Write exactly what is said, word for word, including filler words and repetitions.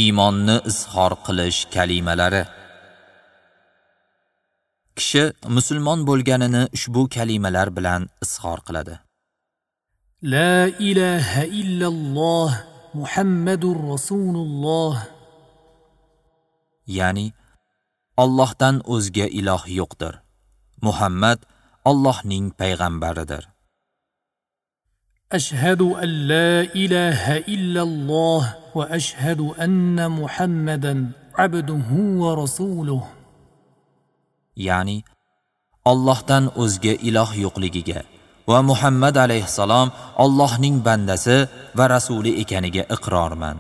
Iymonni izhor qilish kalimalari. Kishi musulmon bo'lganini ushbu kalimalar bilan izhor qiladi. La ilaha illalloh Muhammadur Rasululloh. Ya'ni Allohdan o'zga iloh yo'qdir. Muhammad Allohning payg'ambaridir. Ashhadu an la ilaha illalloh va ashhadu anna Muhammadan abduhu va rasuluh. Ya'ni Allohdan o'zga iloh yo'qligiga va Muhammad alayhissalom Allohning bandasi va rasuli ekaniga iqrorman.